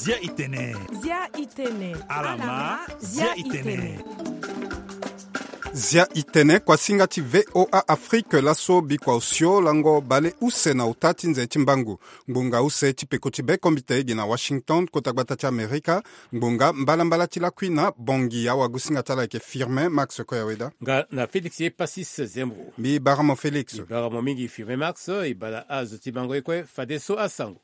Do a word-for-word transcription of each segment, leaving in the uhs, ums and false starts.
Zia itene. Zia itene. Alama. Zia itene. Zia itene, kuasinga ti V O A Afrique, laso bikua osio lango bale use na ota ti nze ti mbangu. Ngbonga use ti peko ti be kombite gi na Washington, kota gbata ti Amerika. Ngbonga mbalambala ti lakui na bongi, awagosinga ti ala ayeke Firmin Max Koyaweda. Nga na Félix ye Passis Zembo. Mbi bara mo Félix. Mbi bara mo mingi Firmin Max, e bala azo ti mango ye kue fadeso asango.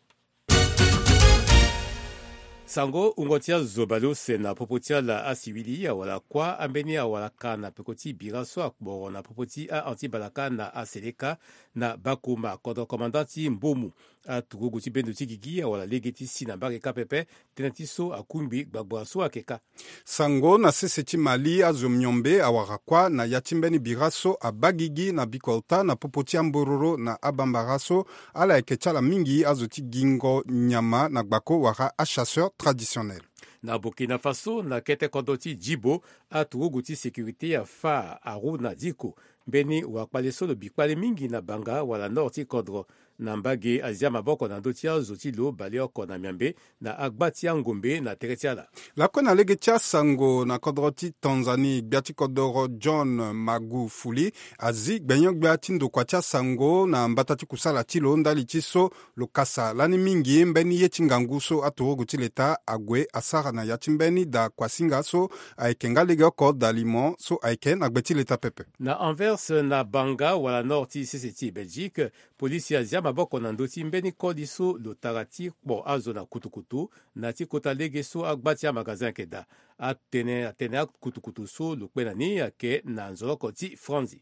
Sango, wungo ti azo baleuse na popo ti ala asiwili awara kuâ ambeni awara ka na peko ti bira so akporo na popo ti a-anti-balaka na aseleka na Bakoma, kodro komanda ti Mbomu. Aturugu ti bendo ti gigi awara lege ti si na mbage kâ pepe, tënë ti so akungbi gbagba so ayeke kâ. Sango na sese ti Mali, azo miombe awara kuâ na ya ti mbeni bira so abaa gigi na bikua ota na popo ti ambororo na abambara so ala yeke ti ala mingi azo ti gingo nyama na gbako wala achasseur traditionnel. Na Burkina Faso, na kete kodro ti Djibo, aturugu ti sécurité afâ aru na diko mbeni wakpale so lo bi kpale mingi na Banga wala nord ti kodro. Na mbage azia maboko na ndö ti azo ti lo baleoko na miambe na agba ti angombe na tere ti ala. Lakue na lege ti asango, na kodro ti Tanzanie, gbia ti kodoro John Magufuli azi gbenyo-gbia ti ndokua ti asango na mbata ti kusala ti lo ndali ti so lo kasa lani mingi mbeni ye ti ngangu so aturugu ti leta ague asara na ya ti mbeni da kuasinga so ayeke nga legeoko dalimo so ayeke na gbe ti leta pepe. Na Anvers, na Banga wala nord ti sese ti Belgique, polisi azia maboko na ndö ti mbeni koli so lo tara ti kpo azo na kutukutu na ti kota lege so agba ti amagazin ayeke daa. Atene atene akutukutu so lo kpe na ni ayeke na nzoloko ti franzi.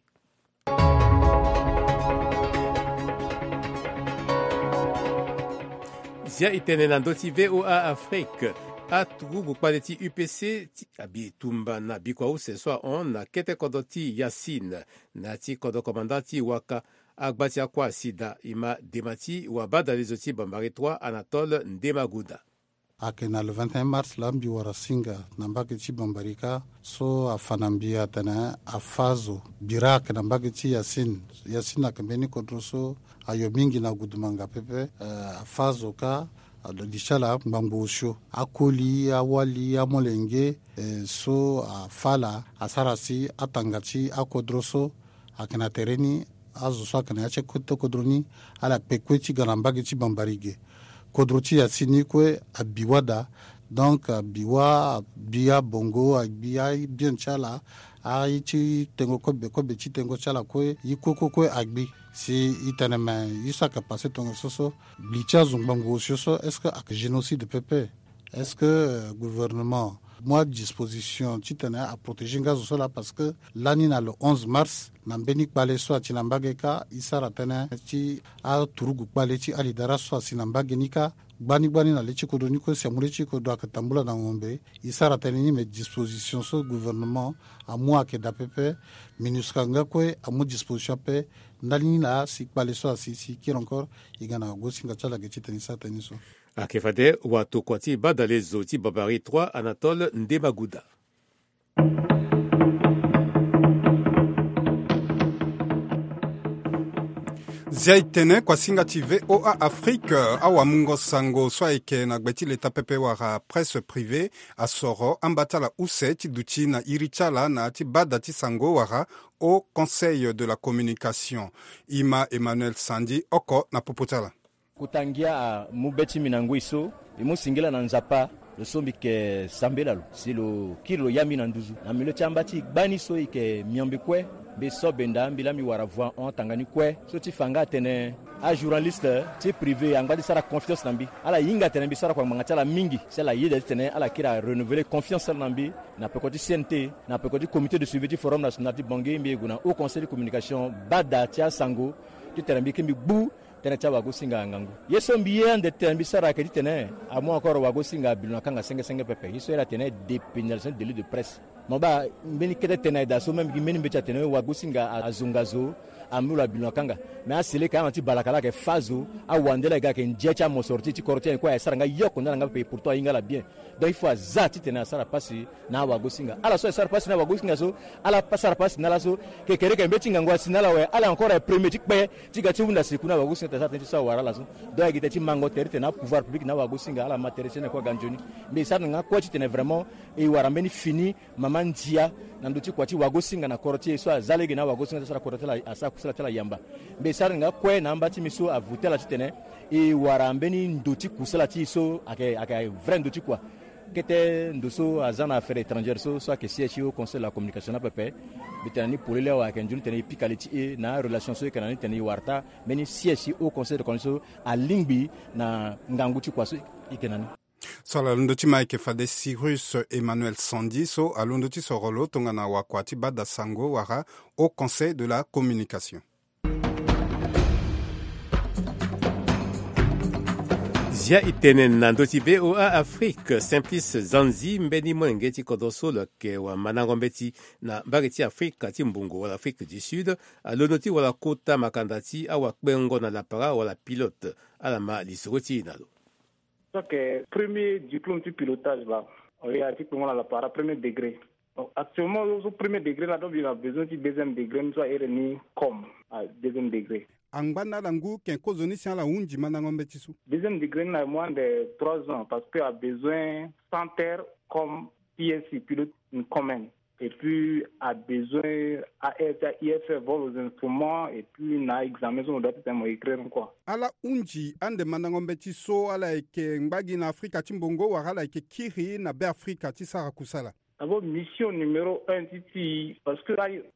Zia itene na ndö ti V O A Afrique. Aturugu kpale ti U P C ti abi tumba na bikua use so ahon na kete kodro ti Yassine, na ti kodro komanda ti Waka. Agba ti akua asida e ma dema ti wabadalezo ti Bambari trois, Anatole Ndemaguda. Ayeke na le vingt et un mars laa mbi wara singa na mbage ti Bambarika so afa na mbi atene afâ zo. Bira ayeke na mbage ti Yassine. Yassine ayeke mbeni kodro so ayo mingi na gudumanga pepe. Eh, afâ zo kâ, ado li ti ala ngbangbo osio. Akoli, awali, amolenge, eh, so afâ ala asara si atanga ti akodro so ayeke na tere ni. Azo so ayeke na ya ti kote kodro ni ala kpe kue ti ga na mbage ti Bambari ge. Kodro ti Yassine ni kue abi wâ daa. Donc abi wâ, abi abongo, abi abien ti ala, aye ti tengo kobe kobe ti tengo ti ala kue, ye kue kue kue agbi. Si e tene me ye so ayeke passé tongaso so, li ti azo ngbangbo osio so, est-ce que ayeke génocide pepe? Est-ce que, euh, gouvernement amu adisposition titene aprotéger nga zo so laa? Parce que lani na le onze mars, na mbeni kpale so ati na mbage kâ, e sara tënë ti aturugu kpale ti alidara so asi na mbage ni kâ. Gbani gbani na le ti kodro ni kue, si amu le ti kodro ayeke tambula na ngombe. E sara tënë ni, me disposition so gouvernement amu ayeke daa pepe. Minusca nga kue amu disposition ape. Ndali ni laa si kpale so asi, si e kiri encore, e ga na wagosinga ti ala ge titene e sara tënë ni so. Ayeke fade watokua ti badalezo ti Bambari trois, Anatole Ndemaguda. Zia e tene kuasinga ti V O A Afrique, awamungo sango so ayeke na gbe ti leta pepe wala presse privée asoro amba ti ala use ti duti na iri ti ala na ti bada ti sango wala Haut Conseil de la Communication. E ma Emmanuel Sandi oko na popo ti ala. Kota ngia amu be ti mbi na ngoi so, e mu singila na Nzapa, lo so mbi yeke sambela lo si lo kiri lo ya mbi na nduzu na milieu ti amba ti gbani so e yeke miombe kue. Mbi so benda mbi laa mbi wara voie hon tanga ni kue so ti fa nga atene ajournaliste ti privé angba ti sara confiance na mbi. Ala hinga atene mbi sara kua ngbanga ti ala mingi, si ala yeda titene ala kiri arenouveler confiance ti ala na mbi, na peko ti C N T, na peko ti comité de suivi ti Forum National ti Bangui. Mbi ye gue na Haut Conseil de Communication bada ti asango titene mbi kiri mbi gbu tënë ti awagosinga ngangu. Ye so mbi ye ande titene mbi sara ayeke titene amu encore wagosinga bilo na kanga senge senge pepe. Ye so e iri atene dépénalisation du délit de presse. Mo baa mbeni kete tene na eda so même gi mbeni mbeti atene wagosinga azonga zo. Ambi lo abi lo na kanga. Mais asele ka na ti balaka laa ayeke fâ zo. Awande laa e ga ayeke ndia ti amosoro ti e ti kodro ti e kue ayeke sara nga yoko ndala nga mpe pourtant ahinga ala bien. Donc il faut aza titene asara pasi na awagosinga ala so ayeke sara pasi na awagosinga so. Ala pa sara pasi na ala so. Kekereke mbeti ngangu asi na ala awe ala encore premier ti kpe ti ga ti hunda seku na awagosinga tene asara tënë ti so awara ala so. Donc ayeke tene ti mango tere titene apouvoir public na awagosinga ala ma tere ti tene kue aga nzoni. Mbi sara na nga kue titene vraiment e wara mbeni fini mama ndia na ndö ti kua ti wagosinga na kodro ti e so aza lege na awagosinga ti asara kodro ti ala asara kusala ti ala yamba. Mbi sara na nga kue na amba ti mbi so avu ti ala titene e wara mbeni ndo ti kusala ti e so ayeke ayeke vrai ndo ti kua. Kete ndo so aza na affaire étrangère so so ayeke siège ti haut conseil de la communication na pepe. Mbi tene na ni polele awe ayeke nzoni titene e pika li ti e na arelation so e yeke na ni titene e wara taa mbeni siège ti haut conseil de la communication so alingbi na ngangu ti kua so e yeke na ni. So ala londo ti ma ayeke fade Cyrus Emmanuel Sandi so alondo ti soro lo tongana wakua ti bada sango wala haut conseil de la communication. Zia e tene na ndö ti V O A Afrique, Simplice Zanzi, mbeni molenge ti kodro so lo yeke wamandango mbeti na mbage ti Afrika ti mbongo wala Afrique du Sud, alondo ti wara kota makanda ti awakpengo na lapara wala pilote. Ala ma lisoro ti e na lo. So ayeke premier diplôme ti pilotage laa. Oya ti kpengo na lapara premier degré. Donc actuellement so premier degré laa, donc mbi na besoin ti deuxième degré ni so ahere ni comme deuxième degré. Angba na ala ngu ken kozoni si ala hunzi mandango mbeti so. Deuxième degré ni na moins de trois ans parce que a besoin cent heures comme P S C, pilote in command. Et puis a besoin a R T A I F vol aux instruments et puis na examen so mo doit ti tene mo écrire ni kua. Ala hunzi ande mandango mbeti so ala yeke ngba gi na Afrika ti mbongo wala ala yeke kiri na Be Afrika ti sara kusala? D'abord mission numéro un ti ti parce que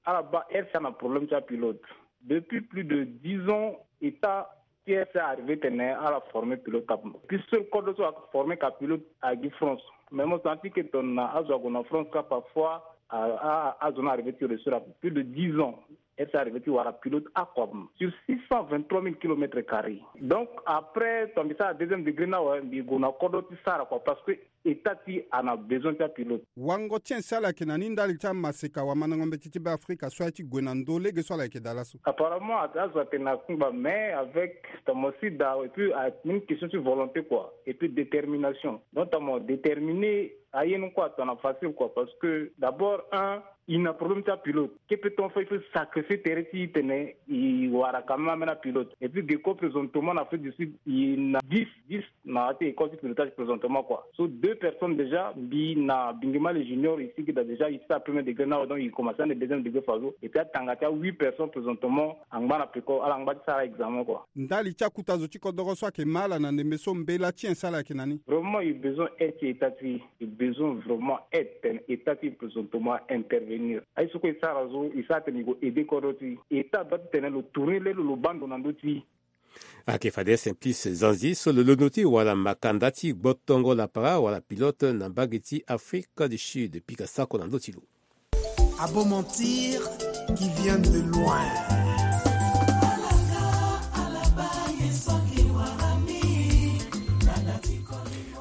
ala baa R T A na problème ti apilote. Depuis plus de dix ans état T S A arrivé tene ala former pilote ape. Puis seul code so aformer ka pilote agi France. Mais mo senti que tongana azo ague na France ka parfois azo ni arrivé ti réussir ape. Plus de dix ans R T A arrivé ti wara pilote ako ape sur six cent vingt-trois mille kilomètres carrés. Donc après tongana mbi sara deuxième degré ni awe mbi gue na kodro ti sara kua parce que état ti e ana besoin ti apilote. Wango ti en si ala yeke na ni ndali ti amaseka wamandango mbeti ti Be Afrika so aye ti gue na ndö lege so ala yeke daa laso? Apparemment azo atene na kungba mais avec tongana mo si daa et puis a une question ti volonté kua et puis détermination. Donc tongana mo déterminé aye ni kua tongana facile kua parce que d'abord un i na problème ti apilote. Ke pe ton fa il faut sacrifier tere ti e tene i wara quand même ambeni apilote. Et puis geko présentement na Afrique du Sud i na dix dix na ya ti école ti pilotage présentement kua. So deux personnes déjà mbi na Bingema le junior i sigi daa déjà i sara premier degré ni awe donc i commencer ande deuxième degré fazo. Et puis atanga ti a huit personnes présentement angba na peko ala ngba ti sara examen kua. Ndali ti akuta zo ti kodoro so ayeke ma ala na ndembe so mbela ti en si ala yeke na ni? Vraiment i besoin aide ti état ti i besoin vraiment aide tene état ti i présentement intervenir. Aye so kue i sara zo i sara tene i gue aider kodro ti i état doit ti tene lo tourner lelo lo baa ndo na ndö ti i. Ayeke fade Simplice Zanzi so lo londo ti wara makanda ti gbotongo lapara wala pilote na mbage ti Afrika du Sud pika sako na ndö ti lo. Abo mentir qui vient de loin.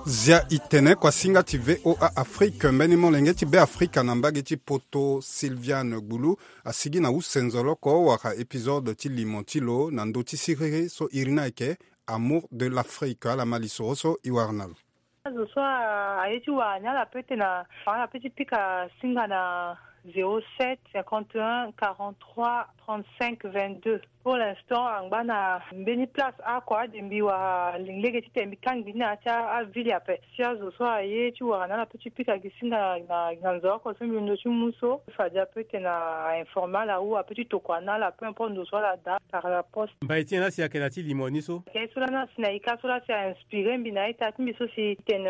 Zia i tene kuasinga ti V O A Afrique mbeni molenge ti Be Afrika na mbage ti Poto Sylviane Gbulu asigi na use nzoloko wala épisode ti limo ti lo na ndö ti siriri so iri ni ayeke Amour de l'Afrique. Ala ma lisoro so i wara na lo. Azo so aye ti wara ni ala pe ti na ala pe ti pika singa na zéro sept cinquante et un quarante-trois trente-cinq vingt-deux. Pour l'instant angba na mbeni place akua ade mbi wara lenge lege titene mbi kangbi ni na ya ti aville ape. Si azo so aye ti wara na ala pe ti pika gi singa na na nzau oko so mbi londo ti mu so fade ape titene a informe ala ou ape ti tokua na ala peu importe ndo so ala daa par la poste. Mbai ti nyen la si ayeke na ti limo ni so? Ayeke so lani asi na ika so la si a inspiré mbi na a-ita ti mbi so si titene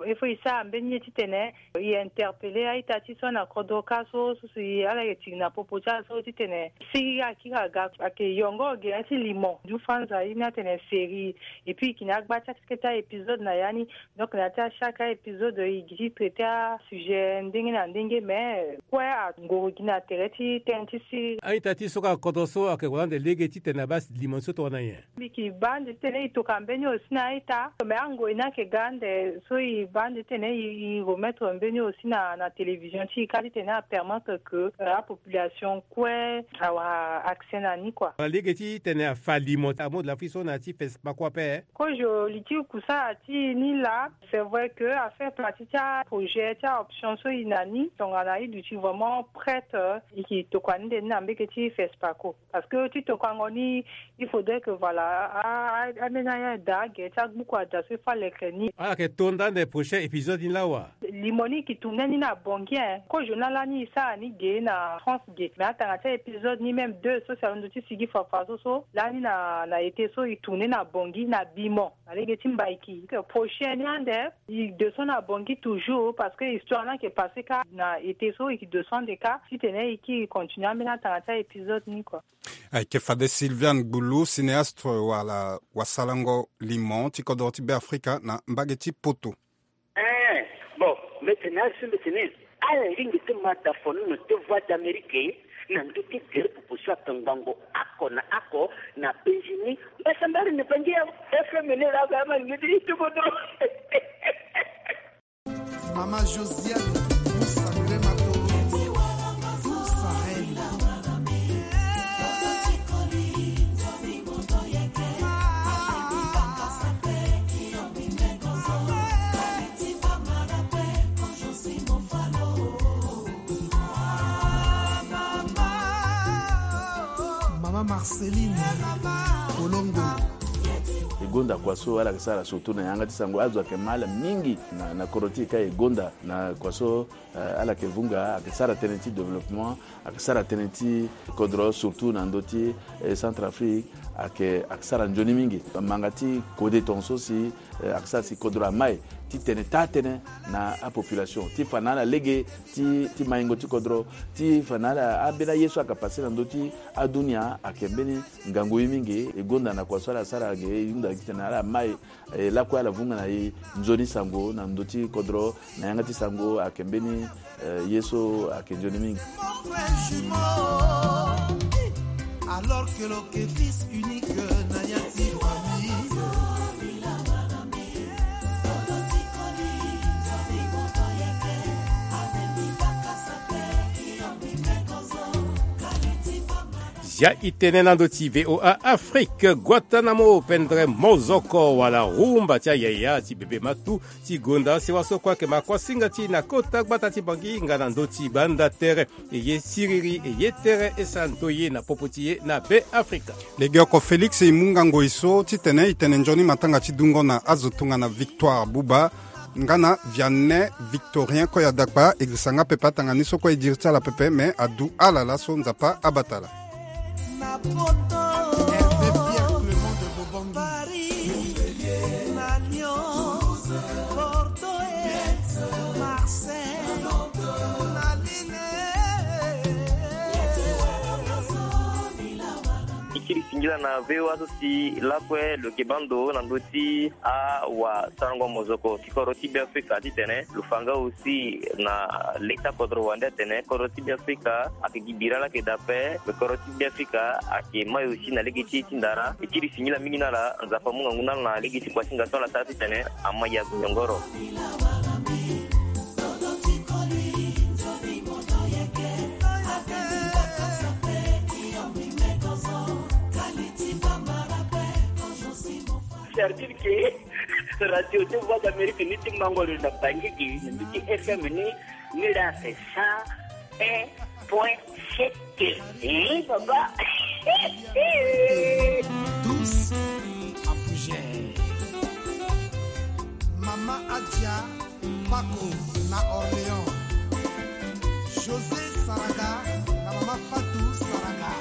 il faut e sara mbeni ye titene e interpellé a-ita ti so na kodro ka so so so si ala yeke tiri na popo ti ala so titene siriri akiri aga. Ayeke yongo ge na ya ti limo ndufanza ye ni atene série. Et puis e yeke na agba ti akete ti a-épisode na ya ni. Donc na ya ti a-chaque a-épisode e gi ti traiter a-sujet ndenge na ndenge, mais kue angoro gi na tere ti tënë ti siriri. A-ita ti so ka kodro so ayeke wara ande lege titene abaa limo ni so tongana nyen? Mbi yeke baa ande titene e tokua mbeni aussi na a-ita, mais angoi ni ayeke ga ande so e baa ande titene e remettre mbeni aussi na na télévision ti e kâ titene apermettre que apopulation kue awara accès na ni kua. Lege titene afa limo amu de la fri so na ya ti fespako ape. Kozo li ti kusala ti e ni laa. C'est vrai que afaire partie ti aprojet ti aoption so e na ni tongana e duti vraiment prête, e yeke tokua ni nde ni na mbege ti fespako. Parce que ti tokuango ni, il faudrait que voilà, ambeni aya daa ge ti agbuku ada so e fa leke ni. Ala yeke to nda ande prochain épisode ni laa wa? Limo ni e yeke tourner ni na bongi e. Kozo na lani e sara ni ge na France ge, mais atanga ti a-épisode ni même deux so si alondo ti sigi fafa so so lani na na ete so e tourner na bongi na bimo. Na lege ti mbaiki prochain ni ande e descend na bongi toujours parce que histoire ni ayeke passe kâ na ete so e yeke descend kâ titene e kiri continuer ambeni atanga ti a-épisode ni kua. Ayeke fade Sylviane Gbulu, cinéaste wala wasalango limo ti kodro ti Beafrika na mbage ti Poto. Eh, bon, mbi tene azo mbi tene ala lingbi ti ma da fono na te Voix d'Amérique na ndö ti gere popo so atongbango oko na oko na penzi ni. Mbasambari ni pangi ya F M ni la ga ma lingbi ti ti kodro. Mama Josiane Moussa Gremato, Moussa Reine. Mama Marceline Kolongo. E gonda kua so ala yeke sara surtout na yanga ti sango, azo ayeke ma ala mingi na, na kodro ti e kâ e gonda na kua so, eh, ala yeke vunga, ayeke sara tënë ti développement, ayeke sara tënë ti kodro surtout na ndö ti, eh, Centrafrique, ayeke, ayeke sara nzoni mingi. Manga ti kode tongaso si, eh, ayeke sara si kodro amai titene taa tënë na apopulation ti fa na ala lege ti, ti maingo ti kodro, ti fa na ala ambeni aye so ayeke passe na ndö ti adunia ayeke mbeni ngangu ye mingi. E gonda na kua so ala sara ge, e hunda titene ala mai, e lakue ala vunga na e nzoni sango na ndö ti kodro na yanga ti sango ayeke mbeni, eh, ye so ayeke nzoni mingi. Alors que lo yeke fils unique na ya ti famille. Ya e tene na ndö ti V O A Afrique, Guantanamo, Pendre Mozoko wala rumba ti ayaya ti bebe matu ti gonda sewa so kue ayeke ma kuasinga ti e na kota gbata ti Bangui nga na ndö ti banda tere. E ye siriri, e ye tere, e santo ye na popo ti ye na Beafrika. Legeoko Félix e mu nga ngoi so titene e tene nzoni matanga ti dungo na azo tongana Victoire Buba nga na Vianney Victorien Koyadakpa, e girisa nga pepe atanga ni so kue e diri ti ala pepe, me adu ala laso, Nzapa abatala. Na Poto, Hervé Pierre Clément de Bobongi. Paris, na Lyon, Bordeaux, Marseille, na Lille. E kiri singila na V O A so si lakue lo yeke baa ndo na ndö ti awasarango mozoko ti kodro ti Beafrika titene lo fa nga aussi na leta kodro wande atene kodro ti Beafrika ayeke gi bira laa ayeke daa ape. Me kodro ti Beafrika ayeke mai aussi na lege ti e ti ndara. E kiri singila mingi na ala, Nzapa amu ngangu na ala na lege ti kuasinga so ala sara titene ama yago yongoro. C'est-à-dire que radio ti Voix d'Amérique ni ti mango lo na Bangui gi, na mbi ti F M ni, ni la c'est cent un point sept. Eh, papa. Douce à fougère. Mama Adia Paco na Orléans. José Saraga na Mama Fatou Saraga.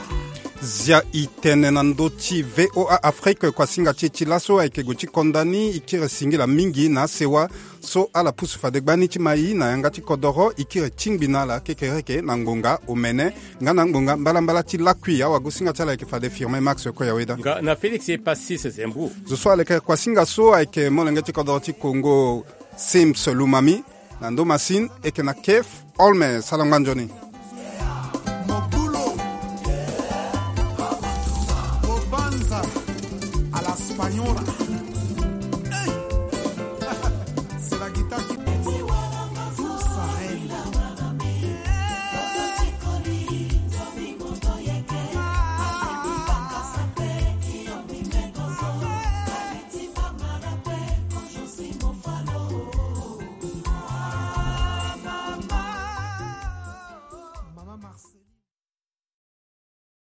Zia e tene na ndö ti V O A Afrique, kuasinga ti e ti laso ayeke gue ti konda ni. E kiri singila mingi na asewa So ala pusu fade gbani ti mai na yanga ti kodoro, e kiri tingbi na ala kekereke na ngbonga omene nga na ngbonga mbalambala ti lakui. Awagosinga ti ala ayeke fade Firmin Max Koya Weda. Nga na Félix Epasis Zembu. Zo so aleke kuasinga so ayeke molenge ti kodoro ti Congo, Sims Lumami, na ndo masine eke na Kef Olme Salangba Nzoni. Mobulo, Bobanza, a la Spagnola.